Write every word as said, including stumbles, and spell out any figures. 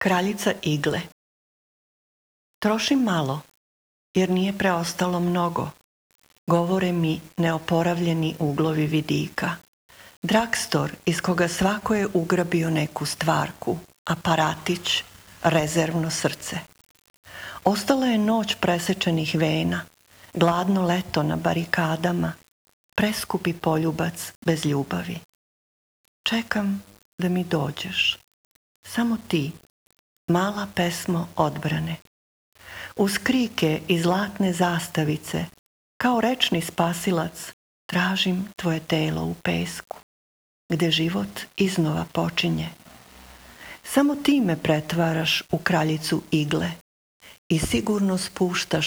Kraljica igle. Trošim malo, jer nije preostalo mnogo. Govore mi neoporavljeni uglovi vidika. Dragstor iz koga svako je ugrabio neku stvarku, aparatić, rezervno srce. Ostala je noć presečenih vena, gladno leto na barikadama, preskupi poljubac bez ljubavi. Čekam da mi dođeš. Samo ti, mala pesmo odbrane. Uz krike i zlatne zastavice, kao rečni spasilac, tražim tvoje telo u pesku, gde život iznova počinje. Samo ti me pretvaraš u kraljicu igle i sigurno spuštaš